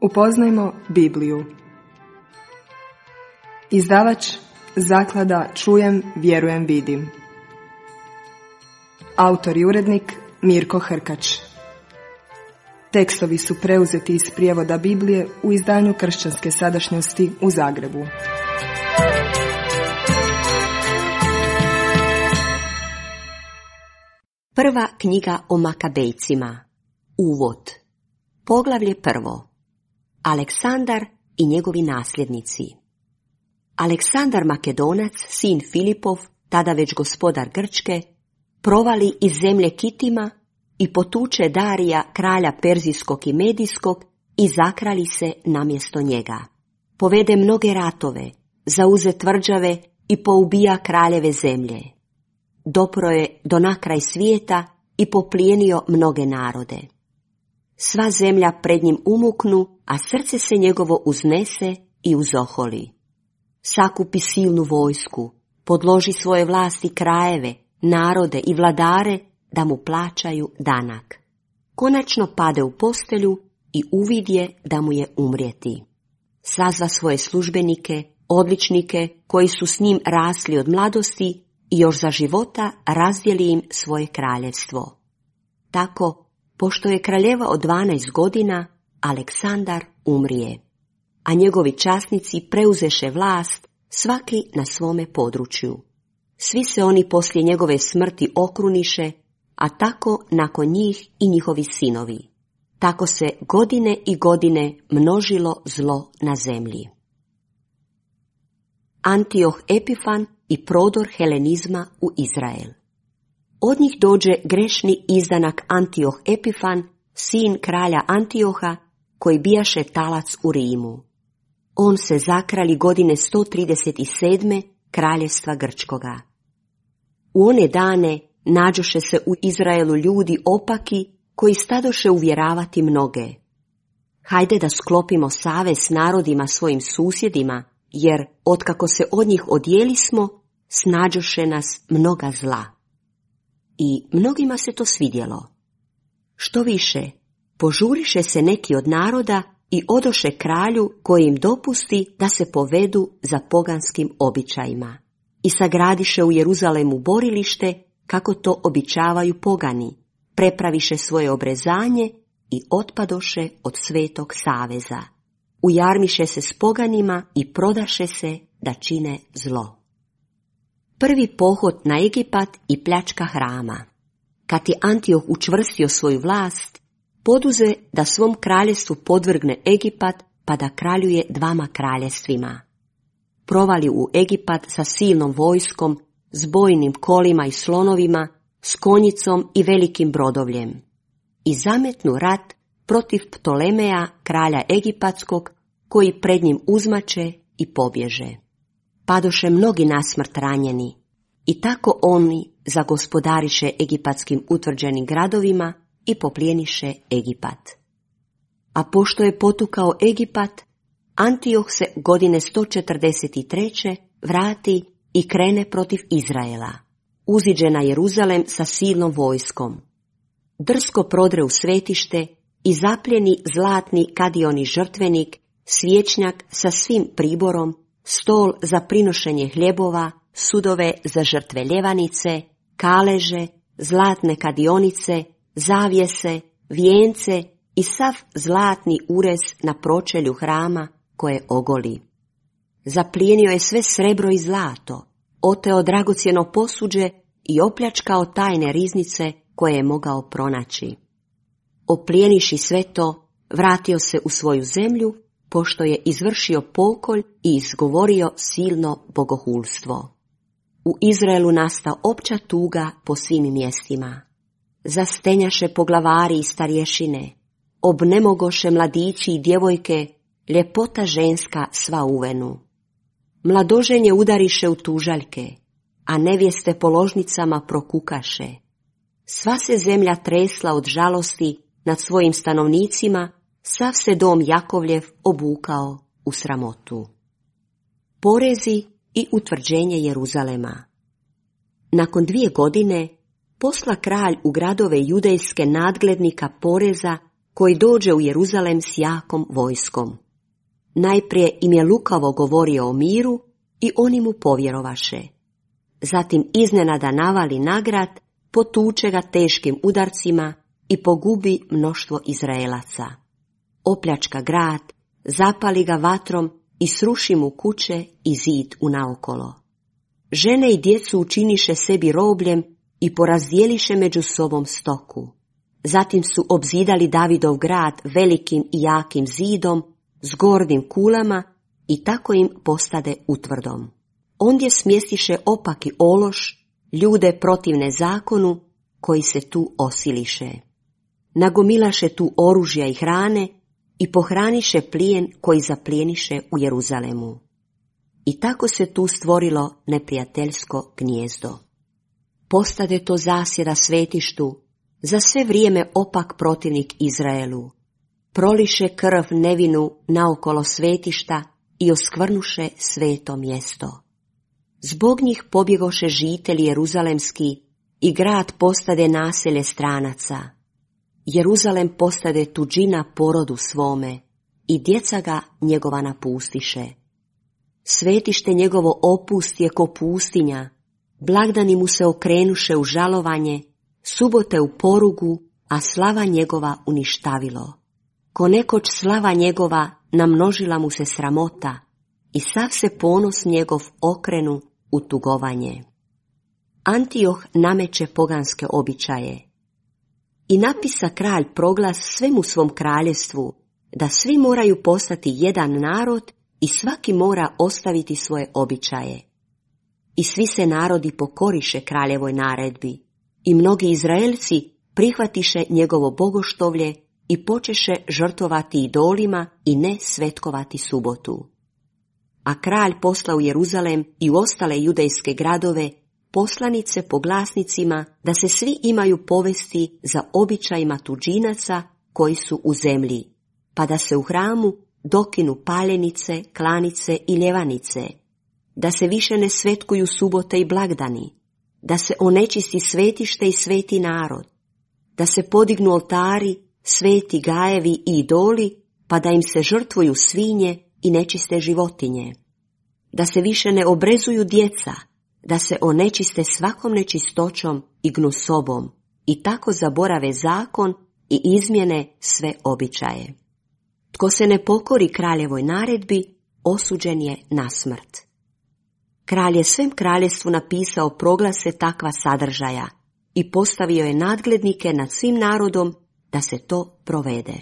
Upoznajmo Bibliju. Izdavač Zaklada Čujem, vjerujem, vidim. Autor i urednik Mirko Hrkač. Tekstovi su preuzeti iz prijevoda Biblije u izdanju Kršćanske sadašnjosti u Zagrebu. Prva knjiga o Makabejcima. Uvod. Poglavlje 1. Aleksandar i njegovi nasljednici. Aleksandar Makedonac, sin Filipov, tada već gospodar Grčke, provali iz zemlje Kitima i potuče Darija, kralja Perzijskog i Medijskog, i zakrali se namjesto njega. Povede mnoge ratove, zauze tvrđave i poubija kraljeve zemlje. Dopro je do nakraj svijeta i poplijenio mnoge narode. Sva zemlja pred njim umuknu, a srce se njegovo uznese i uzoholi. Sakupi silnu vojsku, podloži svoje vlasti krajeve, narode i vladare da mu plaćaju danak. Konačno pade u postelju i uvidje da mu je umrijeti. Sazva svoje službenike, odličnike koji su s njim rasli od mladosti i još za života razdijeli im svoje kraljevstvo. Tako, pošto je kraljeva od 12 godina, Aleksandar umrije, a njegovi časnici preuzeše vlast, svaki na svome području. Svi se oni poslije njegove smrti okruniše, a tako nakon njih i njihovi sinovi. Tako se godine i godine množilo zlo na zemlji. Antioh Epifan i prodor helenizma u Izrael. Od njih dođe grešni izdanak Antioh Epifan, sin kralja Antioha, koji bijaše talac u Rimu. On se zakrali godine 137. kraljevstva Grčkoga. U one dane nađoše se u Izraelu ljudi opaki koji stadoše uvjeravati mnoge. Hajde da sklopimo savez s narodima svojim susjedima, jer otkako se od njih odjelismo, snađoše nas mnoga zla. I mnogima se to svidjelo. Što više, požuriše se neki od naroda i odoše kralju koji im dopusti da se povedu za poganskim običajima. I sagradiše u Jeruzalemu borilište, kako to običavaju pogani, prepraviše svoje obrezanje i otpadoše od svetog saveza. Ujarmiše se s poganima i prodaše se da čine zlo. Prvi pohod na Egipat i pljačka hrama. Kad je Antioh učvrstio svoju vlast, poduze da svom kraljestvu podvrgne Egipat, pa da kraljuje 2 kraljevstvima. Provali u Egipat sa silnom vojskom, s bojnim kolima i slonovima, s konjicom i velikim brodovljem. I zametnu rat protiv Ptolemeja, kralja Egipatskog, koji pred njim uzmače i pobježe. Padoše mnogi nasmrt ranjeni, i tako oni zagospodariše egipatskim utvrđenim gradovima i poplijeniše Egipat. A pošto je potukao Egipat, Antioh se godine 143. vrati i krene protiv Izraela. Uziđe na Jeruzalem sa silnom vojskom. Drsko prodre u svetište i zapljeni zlatni kadioni žrtvenik, svječnjak sa svim priborom, stol za prinošenje hljebova, sudove za žrtve ljevanice, kaleže, zlatne kadionice, zavjese, vijence i sav zlatni urez na pročelju hrama koje ogoli. Zaplijenio je sve srebro i zlato, oteo dragocjeno posuđe i opljačkao tajne riznice koje je mogao pronaći. Oplijeniši sve to, vratio se u svoju zemlju, pošto je izvršio pokolj i izgovorio silno bogohulstvo. U Izraelu nasta opća tuga po svim mjestima. Zastenjaše poglavari i starješine, obnemogoše mladići i djevojke, ljepota ženska sva uvenu. Mladoženje udariše u tužaljke, a nevjeste po ložnicama prokukaše. Sva se zemlja tresla od žalosti nad svojim stanovnicima, sav se dom Jakovljev obukao u sramotu. Porezi i utvrđenje Jeruzalema. Nakon 2 godine posla kralj u gradove judejske nadglednika poreza koji dođe u Jeruzalem s jakom vojskom. Najprije im je lukavo govorio o miru i oni mu povjerovaše. Zatim iznenada navali na grad, potuče ga teškim udarcima i pogubi mnoštvo Izraelaca. Opljačka grad, zapali ga vatrom i sruši mu kuće i zid unaokolo. Žene i djecu učiniše sebi robljem i porazdjeliše među sobom stoku. Zatim su obzidali Davidov grad velikim i jakim zidom, s gordim kulama i tako im postade utvrdom. Ondje smjestiše opaki ološ, ljude protivne zakonu, koji se tu osiliše. Nagomilaše tu oružja i hrane i pohraniše plijen koji zaplijeniše u Jeruzalemu. I tako se tu stvorilo neprijateljsko gnijezdo. Postade to zasjeda svetištu, za sve vrijeme opak protivnik Izraelu. Proliše krv nevinu naokolo svetišta i oskvrnuše sveto mjesto. Zbog njih pobjegoše žitelji jeruzalemski i grad postade naselje stranaca. Jeruzalem postade tuđina porodu svome i djeca ga njegova napustiše. Svetište njegovo opusti je ko pustinja, blagdani mu se okrenuše u žalovanje, subote u porugu, a slava njegova uništavilo. Ko nekoć slava njegova namnožila mu se sramota i sav se ponos njegov okrenu u tugovanje. Antioh nameće poganske običaje. I napisa kralj proglas svemu svom kraljevstvu, da svi moraju postati jedan narod i svaki mora ostaviti svoje običaje. I svi se narodi pokoriše kraljevoj naredbi, i mnogi Izraelci prihvatiše njegovo bogoštovlje i počeše žrtvovati idolima i ne svetkovati subotu. A kralj posla u Jeruzalem i u ostale judejske gradove poslanice po glasnicima da se svi imaju povesti za običajima tuđinaca koji su u zemlji, pa da se u hramu dokinu paljenice, klanice i ljevanice, da se više ne svetkuju subote i blagdani, da se onečisti svetište i sveti narod, da se podignu oltari, sveti gajevi i idoli, pa da im se žrtvuju svinje i nečiste životinje, da se više ne obrezuju djeca, da se onečiste svakom nečistoćom i gnusobom i tako zaborave zakon i izmjene sve običaje. Tko se ne pokori kraljevoj naredbi, osuđen je na smrt. Kralj je svem kraljevstvu napisao proglase takva sadržaja i postavio je nadglednike nad svim narodom da se to provede.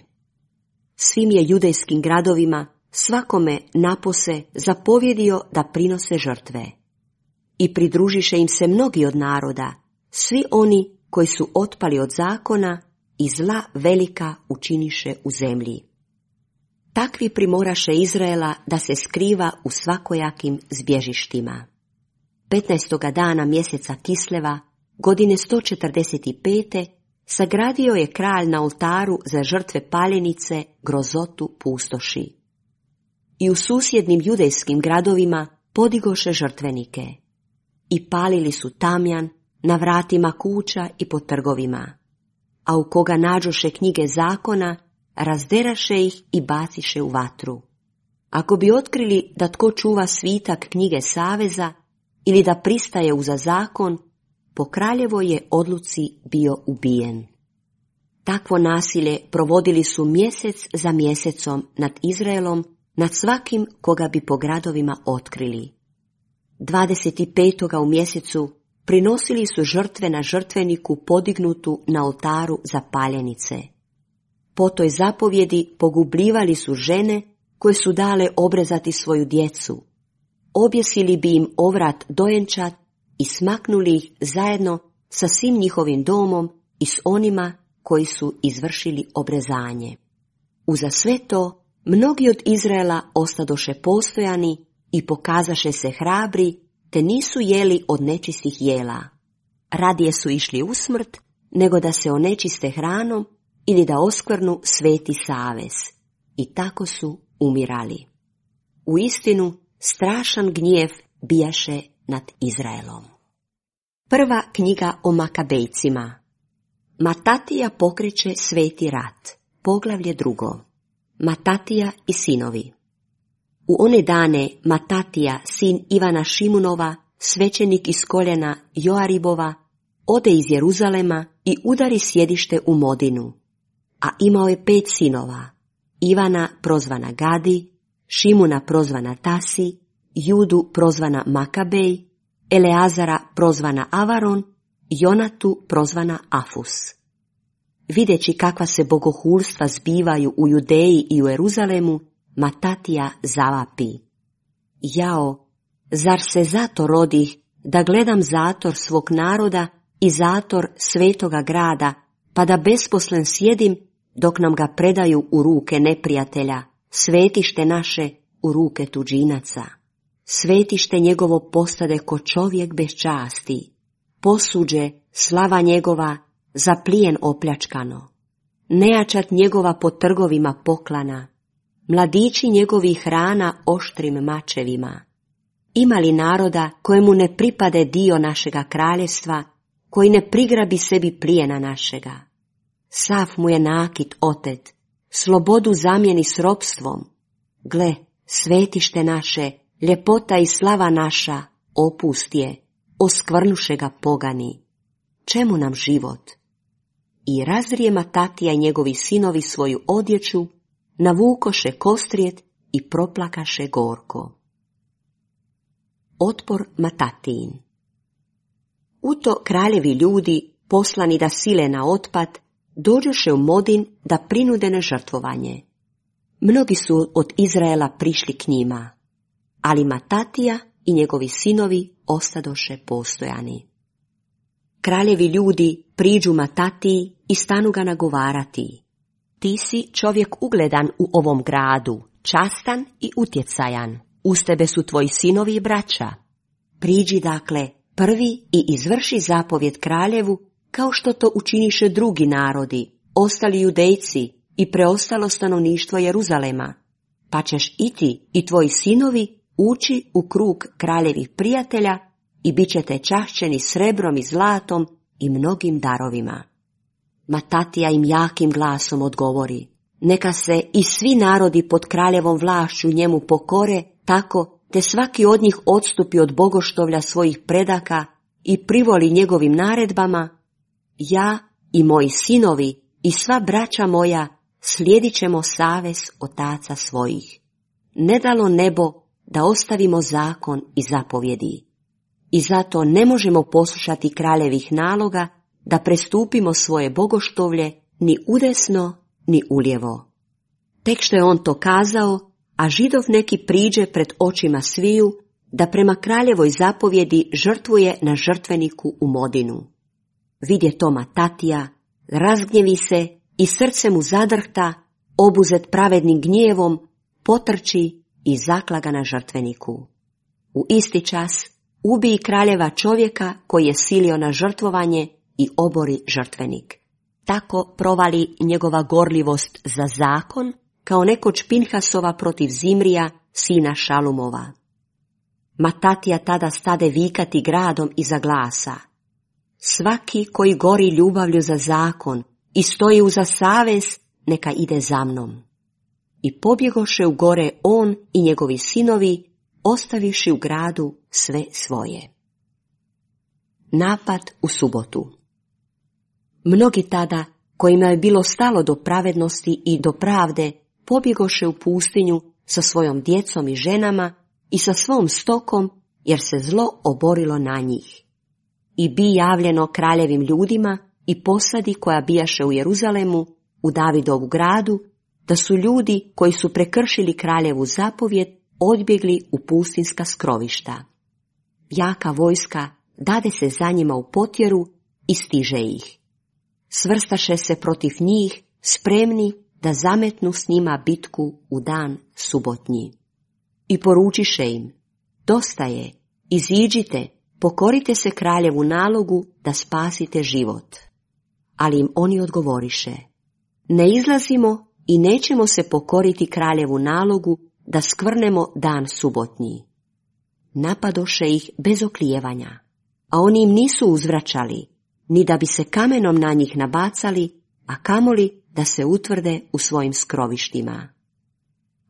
Svim je judejskim gradovima svakome napose zapovjedio da prinose žrtve. I pridružiše im se mnogi od naroda, svi oni koji su otpali od zakona i zla velika učiniše u zemlji. Takvi primoraše Izraela da se skriva u svakojakim zbježištima. 15. dana mjeseca Kisleva, godine 145. sagradio je kralj na oltaru za žrtve paljenice grozotu pustoši. I u susjednim judejskim gradovima podigoše žrtvenike. I palili su tamjan na vratima kuća i po trgovima, a u koga nađoše knjige zakona, razderaše ih i baciše u vatru. Ako bi otkrili da tko čuva svitak knjige saveza ili da pristaje uza zakon, po kraljevoj je odluci bio ubijen. Takvo nasilje provodili su mjesec za mjesecom nad Izraelom, nad svakim koga bi po gradovima otkrili. 25. u mjesecu prinosili su žrtve na žrtveniku podignutu na oltaru za paljenice. Po toj zapovjedi pogubljivali su žene koje su dale obrezati svoju djecu. Objesili bi im ovrat dojenčad i smaknuli ih zajedno sa svim njihovim domom i s onima koji su izvršili obrezanje. Uza sve to, mnogi od Izraela ostadoše postojani i pokazaše se hrabri, te nisu jeli od nečistih jela. Radije su išli u smrt, nego da se onečiste hranom ili da oskvrnu sveti savez. I tako su umirali. Uistinu, strašan gnjev bijaše nad Izraelom. Prva knjiga o Makabejcima. Matatija pokreće sveti rat. Poglavlje 2. Matatija i sinovi. U one dane Matatija, sin Ivana Šimunova, svećenik iz koljena Joaribova, ode iz Jeruzalema i udari sjedište u Modinu. A imao je 5 sinova, Ivana prozvana Gadi, Šimuna prozvana Tasi, Judu prozvana Makabej, Eleazara prozvana Avaron, Jonatu prozvana Afus. Videći kakva se bogohulstva zbivaju u Judeji i u Jeruzalemu, Matatija zavapi: Jao, zar se zato rodih da gledam zator svog naroda i zator svetoga grada, pa da besposlen sjedim dok nam ga predaju u ruke neprijatelja, svetište naše u ruke tuđinaca. Svetište njegovo postade ko čovjek bez časti, posuđe slava njegova za plijen opljačkano, nejačat njegova po trgovima poklana, mladići njegovih rana oštrim mačevima. Ima li naroda kojemu ne pripade dio našega kraljevstva, koji ne prigrabi sebi plijena našega? Sav mu je nakit otet, slobodu zamijeni s ropstvom. Gle, svetište naše, ljepota i slava naša, opust je, oskvrnuše ga pogani. Čemu nam život? I razrije Matatija i njegovi sinovi svoju odjeću, navukoše kostrijet i proplakaše gorko. Otpor Matatijin. U to kraljevi ljudi, poslani da sile na otpad, dođoše u Modin da prinude na žrtvovanje. Mnogi su od Izraela prišli k njima, ali Matatija i njegovi sinovi ostadoše postojani. Kraljevi ljudi priđu Matatiji i stanu ga nagovarati: Ti si čovjek ugledan u ovom gradu, častan i utjecajan. Uz tebe su tvoji sinovi i braća. Priđi dakle prvi i izvrši zapovjed kraljevu, kao što to učiniše drugi narodi, ostali Judejci i preostalo stanovništvo Jeruzalema, pa ćeš i ti i tvoji sinovi ući u krug kraljevih prijatelja i bit ćete čašćeni srebrom i zlatom i mnogim darovima. Matatija im jakim glasom odgovori: Neka se i svi narodi pod kraljevom vlašću njemu pokore, tako te svaki od njih odstupi od bogoštovlja svojih predaka i privoli njegovim naredbama. Ja i moji sinovi i sva braća moja slijedit ćemo savez otaca svojih. Ne dalo nebo da ostavimo zakon i zapovjedi. I zato ne možemo poslušati kraljevih naloga da prestupimo svoje bogoštovlje ni udesno ni ulijevo. Tek što je on to kazao, a Židov neki priđe pred očima sviju da prema kraljevoj zapovjedi žrtvuje na žrtveniku u Modinu. Vidje to Matatija, razgnjevi se i srce mu zadrhta, obuzet pravednim gnjevom, potrči i zaklaga na žrtveniku. U isti čas ubiji kraljeva čovjeka koji je silio na žrtvovanje i obori žrtvenik. Tako provali njegova gorljivost za zakon, kao nekoć Pinhasova protiv Zimrija, sina Šalumova. Matatija tada stade vikati gradom iza glasa: Svaki koji gori ljubavlju za zakon i stoji uza savez, neka ide za mnom. I pobjegoše u gore on i njegovi sinovi, ostaviši u gradu sve svoje. Napad u subotu. Mnogi tada, kojima je bilo stalo do pravednosti i do pravde, pobjegoše u pustinju sa svojom djecom i ženama i sa svom stokom, jer se zlo oborilo na njih. I bi javljeno kraljevim ljudima i posadi koja bijaše u Jeruzalemu, u Davidovu gradu, da su ljudi koji su prekršili kraljevu zapovjed odbjegli u pustinska skrovišta. Jaka vojska dade se za njima u potjeru i stiže ih. Svrstaše se protiv njih, spremni da zametnu s njima bitku u dan subotnji. I poručiše im: Dosta je, iziđite, pokorite se kraljevu nalogu da spasite život. Ali im oni odgovoriše: Ne izlazimo i nećemo se pokoriti kraljevu nalogu da skvrnemo dan subotnji. Napadoše ih bez oklijevanja, a oni im nisu uzvraćali, ni da bi se kamenom na njih nabacali, a kamoli da se utvrde u svojim skrovištima.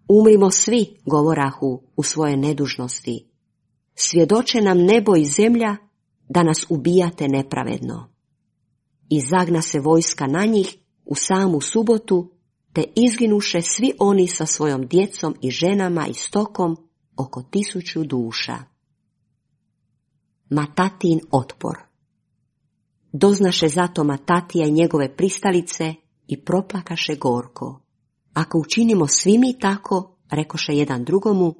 Umrimo svi, govorahu, u svoje nedužnosti. Svjedoče nam nebo i zemlja da nas ubijate nepravedno. I zagna se vojska na njih u samu subotu, te izginuše svi oni sa svojom djecom i ženama i stokom, oko 1000 duša. Matatin otpor. Doznaše zato Matatija i njegove pristalice i proplakaše gorko. Ako učinimo svi mi tako, rekoše jedan drugomu,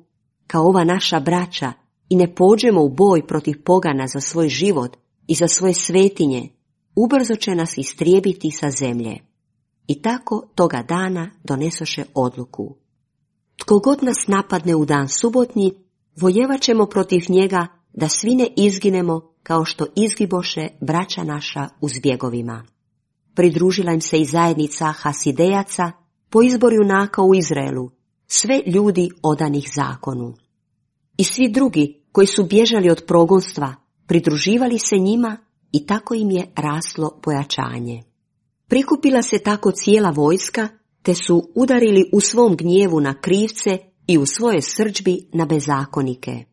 kao ova naša braća, i ne pođemo u boj protiv pogana za svoj život i za svoje svetinje, ubrzo će nas istrijebiti sa zemlje. I tako toga dana donesoše odluku. Tko god nas napadne u dan subotnji, vojevat ćemo protiv njega da svi ne izginemo kao što izgiboše braća naša u zbjegovima. Pridružila im se i zajednica Hasidejaca po izboru junaka u Izraelu, sve ljudi odanih zakonu. I svi drugi koji su bježali od progonstva, pridruživali se njima i tako im je raslo pojačanje. Prikupila se tako cijela vojska, te su udarili u svom gnjevu na krivce i u svoje srdžbi na bezakonike.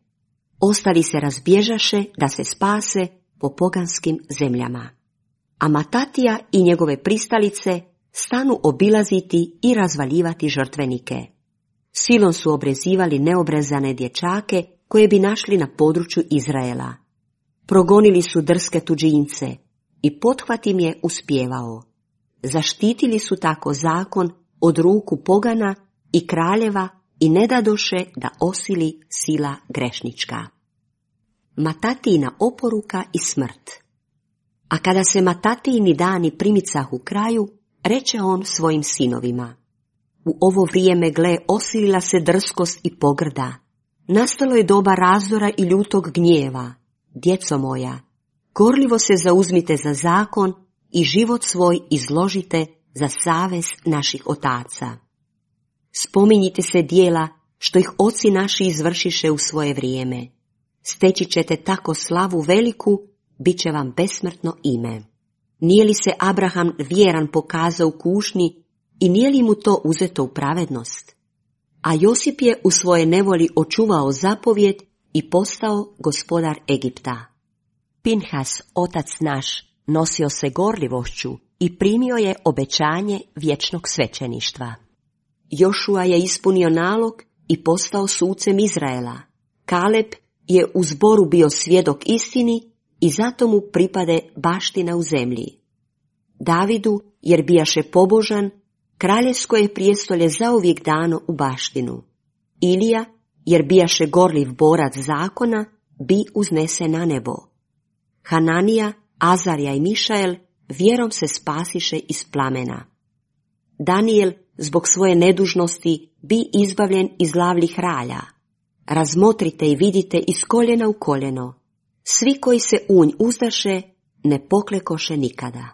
Ostali se razbježaše da se spase po poganskim zemljama. A Matatija i njegove pristalice stanu obilaziti i razvaljivati žrtvenike. Silom su obrezivali neobrezane dječake koje bi našli na području Izraela. Progonili su drske tuđince i pothvat im je uspijevao. Zaštitili su tako zakon od ruku pogana i kraljeva i ne dadoše da osili sila grešnička. Matatijina oporuka i smrt. A kada se Matatijini dani primicahu kraju, reče on svojim sinovima: u ovo vrijeme, gle, osilila se drskost i pogrda. Nastalo je doba razdora i ljutog gnjeva. Djeco moja, gorljivo se zauzmite za zakon i život svoj izložite za savez naših otaca. Spominjite se dijela što ih oci naši izvršiše u svoje vrijeme. Steći ćete tako slavu veliku, bit će vam besmrtno ime. Nije li se Abraham vjeran pokazao u kušnji i nije li mu to uzeto u pravednost? A Josip je u svoje nevoli očuvao zapovjed i postao gospodar Egipta. Pinhas, otac naš, nosio se gorljivošću i primio je obećanje vječnog svećeništva. Jošua je ispunio nalog i postao sucem Izraela. Kaleb je u zboru bio svjedok istini i zato mu pripade baština u zemlji. Davidu, jer bijaše pobožan, kraljevsko je prijestolje zauvijek dano u baštinu. Ilija, jer bijaše gorljiv borac zakona, bi uznese na nebo. Hananija, Azarija i Mišael vjerom se spasiše iz plamena. Danijel, zbog svoje nedužnosti, bi izbavljen iz lavlih ralja. Razmotrite i vidite iz koljena u koljeno. Svi koji se unj uzdaše, ne poklekoše nikada.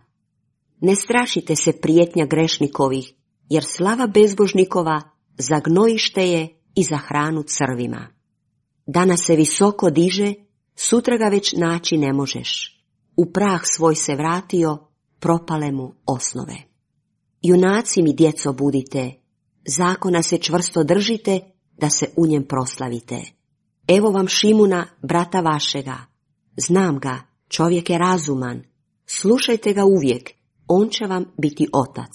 Ne strašite se prijetnja grešnikovih, jer slava bezbožnikova za gnojište je i za hranu crvima. Danas se visoko diže, sutra ga već naći ne možeš. U prah svoj se vratio, propale mu osnove. Junaci mi, djeco, budite, zakona se čvrsto držite, da se u njem proslavite. Evo vam Šimuna, brata vašega. Znam ga, čovjek je razuman. Slušajte ga uvijek, on će vam biti otac.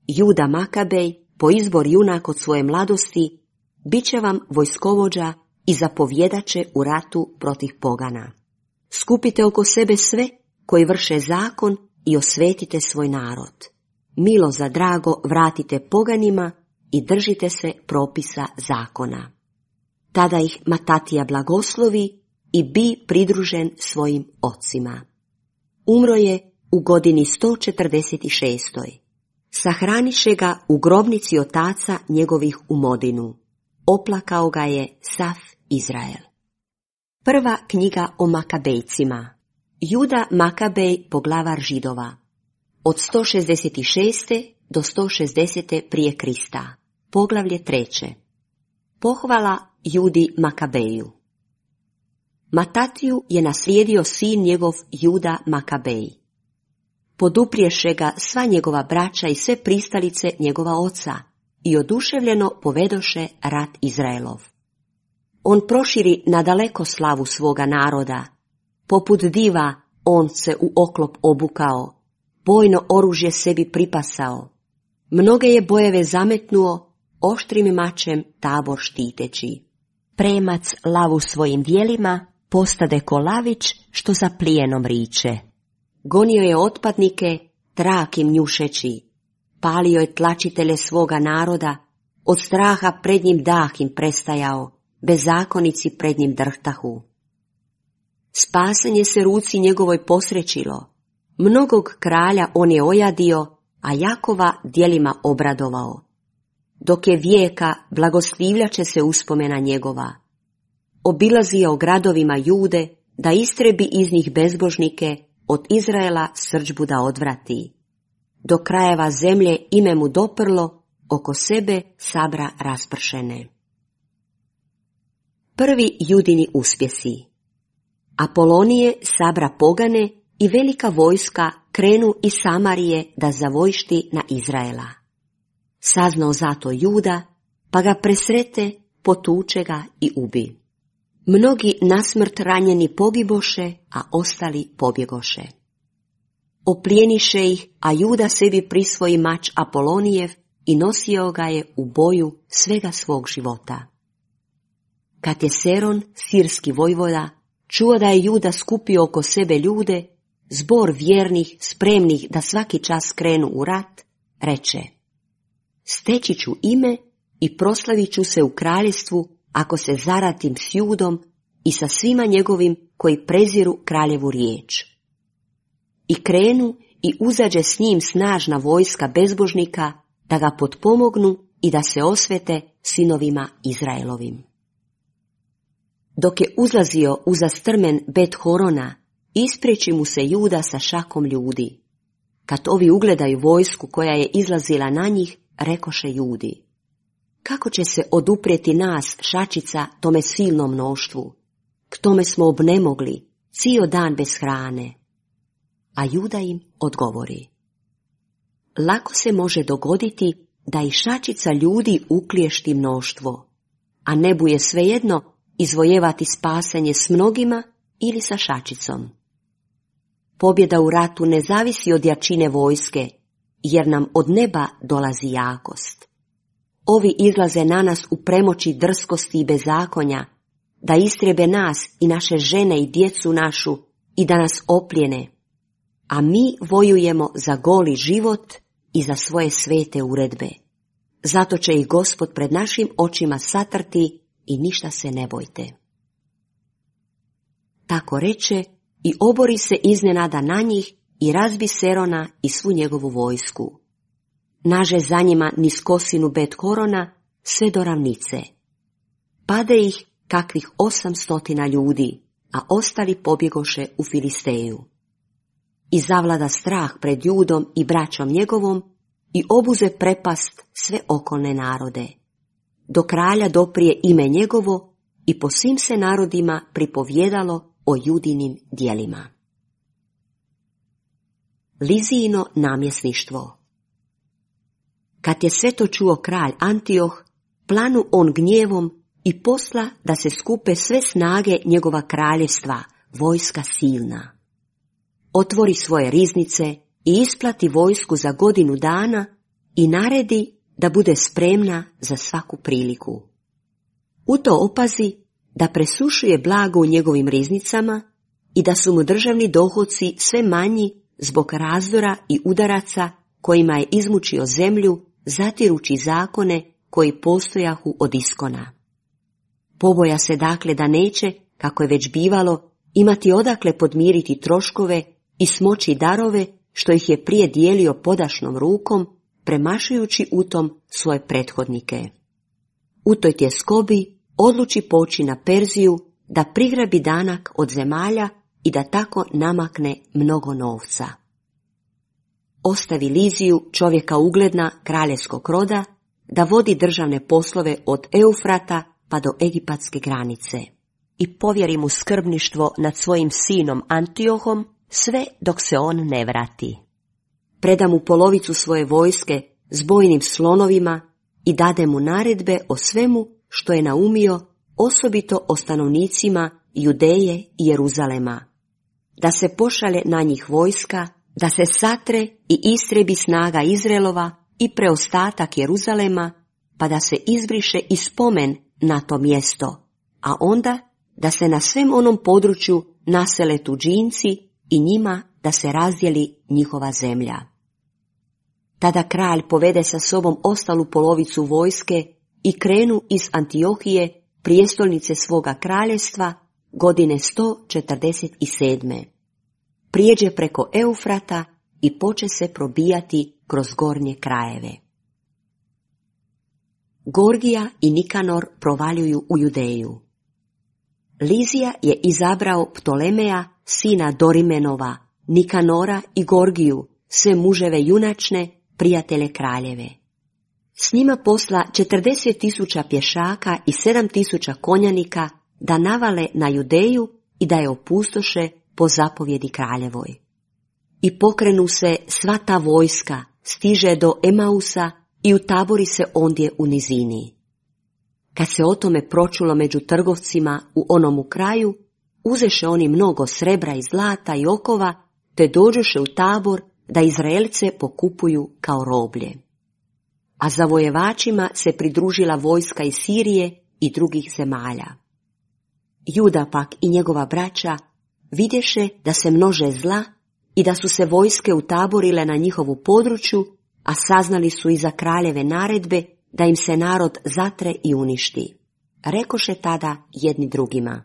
Juda Makabej, po izbor junak od svoje mladosti, bit će vam vojskovođa i zapovjedače u ratu protiv pogana. Skupite oko sebe sve koji vrše zakon i osvetite svoj narod. Milo za drago vratite poganima i držite se propisa zakona. Tada ih Matatija blagoslovi i bi pridružen svojim ocima. Umro je u godini 146. Sahraniše ga u grobnici otaca njegovih u Modinu. Oplakao ga je sav Izrael. Prva knjiga o Makabejcima. Juda Makabej, poglavar Židova. Od 166. do 160. prije Krista. Poglavlje 3. Pohvala Judi Makabeju. Matatiju je naslijedio sin njegov Juda Makabej. podupriješe ga sva njegova braća i sve pristalice njegova oca i oduševljeno povedoše rat Izraelov. On proširi nadaleko slavu svoga naroda, poput diva on se u oklop obukao, bojno oružje sebi pripasao, mnoge je bojeve zametnuo, oštrim mačem tabor štiteći. Premac lavu svojim dijelima, postade ko lavić što za plijenom riče. Gonio je otpadnike, trak im njušeći, palio je tlačitelje svoga naroda, od straha pred njim dah im prestajao, bezakonici pred njim drhtahu. Spasenje se ruci njegovoj posrećilo, mnogog kralja on je ojadio, a Jakova djelima obradovao. Dok je vijeka, blagoslivljaće se uspomena njegova. Obilazio gradovima Jude, da istrebi iz njih bezbožnike, od Izraela srdžbu da odvrati. Do krajeva zemlje ime mu doprlo, oko sebe sabra raspršene. Prvi Judini uspjesi. Apolonije sabra pogane i velika vojska krenu iz Samarije da zavojšti na Izraela. Saznao zato Juda, pa ga presrete, potuče ga i ubi. Mnogi nasmrt ranjeni pogiboše, a ostali pobjegoše. Oplijeniše ih, a Juda sebi prisvoji mač Apolonijev i nosio ga je u boju svega svog života. Kad je Seron, sirski vojvoda, čuo da je Juda skupio oko sebe ljude, zbor vjernih, spremnih da svaki čas krenu u rat, reče: steći ću ime i proslavit ću se u kraljestvu ako se zaratim s Judom i sa svima njegovim koji preziru kraljevu riječ. I krenu i uzađe s njim snažna vojska bezbožnika da ga potpomognu i da se osvete sinovima Izraelovim. Dok je uzlazio uza strmen Bet Horona, ispriječi mu se Juda sa šakom ljudi. Kad ovi ugledaju vojsku koja je izlazila na njih, rekoše Judi: kako će se oduprijeti nas, šačica, tome silnom mnoštvu? K tome smo obnemogli, cijel dan bez hrane. A Juda im odgovori: lako se može dogoditi da i šačica ljudi ukliješti mnoštvo, a nebu je svejedno izvojevati spasanje s mnogima ili sa šačicom. Pobjeda u ratu ne zavisi od jačine vojske, jer nam od neba dolazi jakost. Ovi izlaze na nas u premoći drskosti i bezakonja, da istrebe nas i naše žene i djecu našu i da nas oplijene, a mi vojujemo za goli život i za svoje svete uredbe. Zato će ih Gospod pred našim očima satrti i ništa se ne bojte. Tako reče i obori se iznenada na njih i razbi Serona i svu njegovu vojsku. Naže za njima niz kosinu Bet Horona sve do ravnice. Pade ih kakvih 800 ljudi, a ostali pobjegoše u Filisteju. I zavlada strah pred Judom i braćom njegovom i obuze prepast sve okolne narode. Do kralja doprije ime njegovo i po svim se narodima pripovjedalo o Judinim djelima. Lizijino namjesništvo. Kad je sve to čuo kralj Antioh, planu on gnjevom i posla da se skupe sve snage njegova kraljevstva, vojska silna. Otvori svoje riznice i isplati vojsku za godinu dana i naredi da bude spremna za svaku priliku. U to opazi da presušuje blago u njegovim riznicama i da su mu državni dohoci sve manji zbog razdora i udaraca kojima je izmučio zemlju, zatirući zakone koji postojahu od iskona. Poboja se dakle da neće, kako je već bivalo, imati odakle podmiriti troškove i smoći darove što ih je prije dijelio podašnom rukom, premašujući u tom svoje prethodnike. U toj tjeskobi odluči poći na Perziju da prigrabi danak od zemalja i da tako namakne mnogo novca. Ostavi Liziju, čovjeka ugledna kraljevskog roda, da vodi državne poslove od Eufrata pa do egipatske granice i povjeri mu skrbništvo nad svojim sinom Antiohom sve dok se on ne vrati. preda mu polovicu svoje vojske s bojnim slonovima i dade mu naredbe o svemu što je naumio, osobito o stanovnicima Judeje i Jeruzalema. Da se pošalje na njih vojska, da se satre i istrebi snaga Izraelova i preostatak Jeruzalema, pa da se izbriše i spomen na to mjesto, a onda da se na svem onom području nasele tuđinci i njima da se razdijeli njihova zemlja. Tada kralj povede sa sobom ostalu polovicu vojske i krenu iz Antiohije, prijestolnice svoga kraljevstva, godine 147. Prijeđe preko Eufrata i poče se probijati kroz gornje krajeve. Gorgija i Nikanor provaljuju u Judeju. Lizija je izabrao Ptolemeja, sina Dorimenova, Nikanora i Gorgiju, sve muževe junačne, prijatelje kraljeve. S njima posla 40.000 pješaka i 7.000 konjanika da navale na Judeju i da je opustoše po zapovjedi kraljevoj. I pokrenu se sva ta vojska, stiže do Emausa i utabori se ondje u nizini. Kad se o tome pročulo među trgovcima u onomu kraju, uzeše oni mnogo srebra i zlata i okova, te dođoše u tabor da Izraelce pokupuju kao roblje. A zavojevačima se pridružila vojska iz Sirije i drugih zemalja. Juda pak i njegova braća vidješe da se množe zla i da su se vojske utaborile na njihovu području, a saznali su iza kraljeve naredbe da im se narod zatre i uništi. Rekoše tada jedni drugima: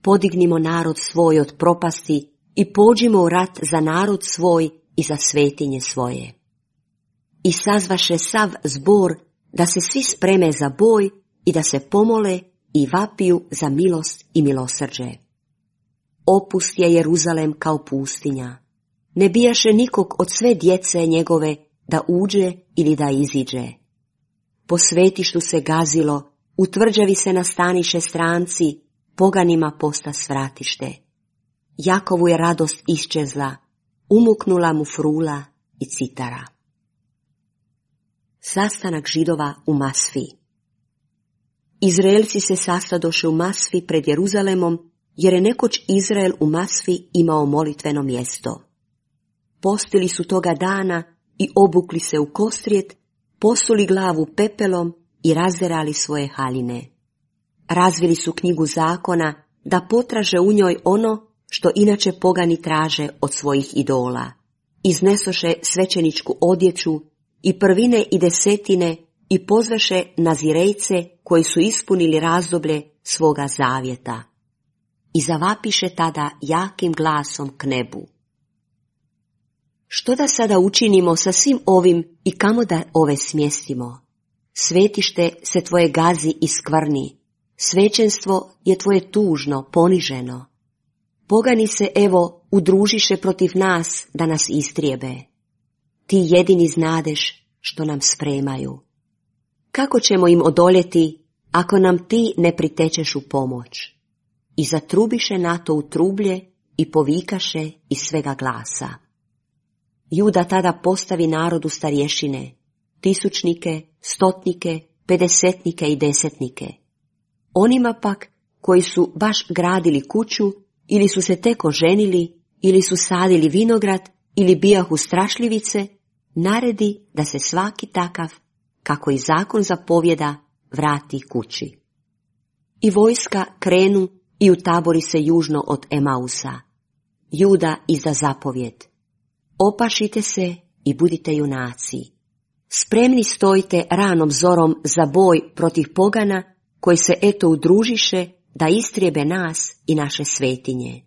podignimo narod svoj od propasti i pođimo u rat za narod svoj i za svetinje svoje. I sazvaše sav zbor da se svi spreme za boj i da se pomole i vapiju za milost i milosrđe. Opust je Jeruzalem kao pustinja. Ne bijaše nikog od sve djece njegove da uđe ili da iziđe. Po svetištu se gazilo, u tvrđavi se nastaniše stranci, poganima posta svratište. Jakovu je radost iščezla, umuknula mu frula i citara. Sastanak Židova u Masfi. Izraelci se sastadoše u Masfi pred Jeruzalemom, jer je nekoć Izrael u Masfi imao molitveno mjesto. Postili su toga dana i obukli se u kostrijet, posuli glavu pepelom i razderali svoje haljine. Razvili su knjigu zakona da potraže u njoj ono što inače pogani traže od svojih idola. Iznesoše svećeničku odjeću i prvine i desetine i pozvaše nazirejce koji su ispunili razdoblje svoga zavjeta. I zavapiše tada jakim glasom k nebu: što da sada učinimo sa svim ovim i kamo da ove smjestimo? Svetište se tvoje gazi i skvrni, svećenstvo je tvoje tužno, poniženo. Pogani se, evo, udružiše protiv nas da nas istrijebe. Ti jedini znadeš što nam spremaju. Kako ćemo im odoljeti ako nam ti ne pritečeš u pomoć? I zatrubiše na to u trublje i povikaše iz svega glasa. Juda tada postavi narodu starješine, tisućnike, stotnike, pedesetnike i desetnike. Onima pak koji su baš gradili kuću, ili su se tek oženili, ili su sadili vinograd, ili bijahu strašljivice, naredi da se svaki takav, kako i zakon zapovjeda, vrati kući. I vojska krenu i utabori se južno od Emausa. Juda izda zapovjed: opašite se i budite junaci. Spremni stojite ranom zorom za boj protiv pogana koji se eto udružiše da istrijebe nas i naše svetinje.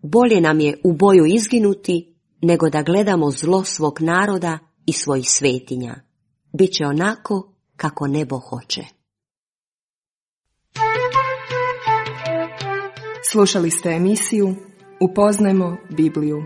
Bolje nam je u boju izginuti nego da gledamo zlo svog naroda i svojih svetinja. Biće onako kako nebo hoće. Slušali ste emisiju Upoznajmo Bibliju.